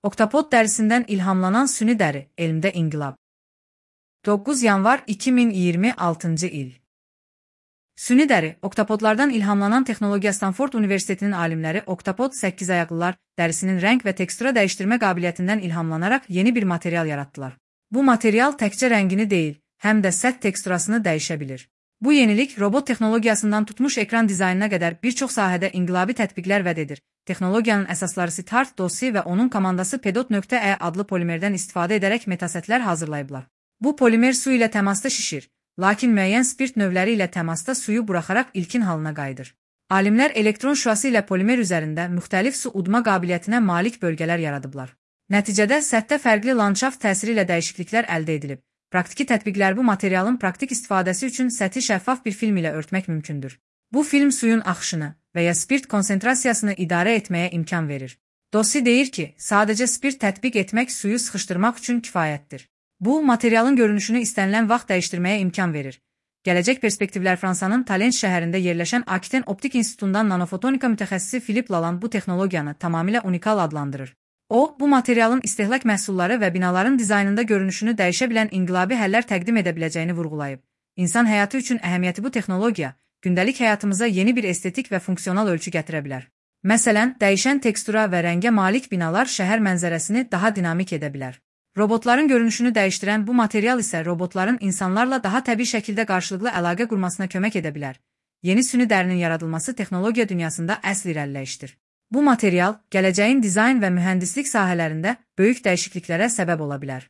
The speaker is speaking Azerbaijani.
Oktapod dərisindən ilhamlanan süni dəri, elmdə inqilab. 9 yanvar 2026-cı il. Süni dəri, oktapodlardan ilhamlanan texnologiya Stanford Universitetinin alimləri oktapod 8-ayaqlılar dərisinin rəng və tekstura dəyişdirmə qabiliyyətindən ilhamlanaraq yeni bir material yaratdılar. Bu material təkcə rəngini deyil, həm də səth teksturasını dəyişə bilir. Bu yenilik robot texnologiyasından tutmuş ekran dizaynına qədər bir çox sahədə inqilabi tətbiqlər vəd edir. Texnologiyanın əsasları Siddharth Dossi və onun komandası Pedot.E adlı polimerdən istifadə edərək metasətlər hazırlayıblar. Bu polimer su ilə təmasda şişir, lakin müəyyən spirt növləri ilə təmasda suyu buraxaraq ilkin halına qayıdır. Alimlər elektron şüası ilə polimer üzərində müxtəlif su udma qabiliyyətinə malik bölgələr yaradıblar. Nəticədə səthdə fərqli landşaft təsiri ilə dəyişikliklər əldə edilib. Praktiki tətbiqlər bu materialın praktik istifadəsi üçün səthi şəffaf bir film ilə örtmək mümkündür. Bu film suyun axışını və ya spirt konsentrasiyasını idarə etməyə imkan verir. Dossi deyir ki, sadəcə spirt tətbiq etmək suyu sıxışdırmaq üçün kifayətdir. Bu, materialın görünüşünü istənilən vaxt dəyişdirməyə imkan verir. Gələcək perspektivlər Fransanın Talent şəhərində yerləşən Akiten Optik İnstitutundan nanofotonika mütəxəssisi Philippe Lalande bu texnologiyanı tamamilə unikal adlandırır. O, bu materialın istehlak məhsulları və binaların dizaynında görünüşünü dəyişə bilən inqilabi həllər təqdim edə biləcəyini vurğulayıb. İnsan həyatı üçün əhəmiyyəti bu texnologiya, gündəlik həyatımıza yeni bir estetik və funksional ölçü gətirə bilər. Məsələn, dəyişən tekstura və rəngə malik binalar şəhər mənzərəsini daha dinamik edə bilər. Robotların görünüşünü dəyişdirən bu material isə robotların insanlarla daha təbii şəkildə qarşılıqlı əlaqə qurmasına kömək edə bilər. Yeni süni dərinin yaradılması texnologiya dünyasında əsl irəliləyişdir. Bu material gələcəyin dizayn və mühəndislik sahələrində böyük dəyişikliklərə səbəb ola bilər.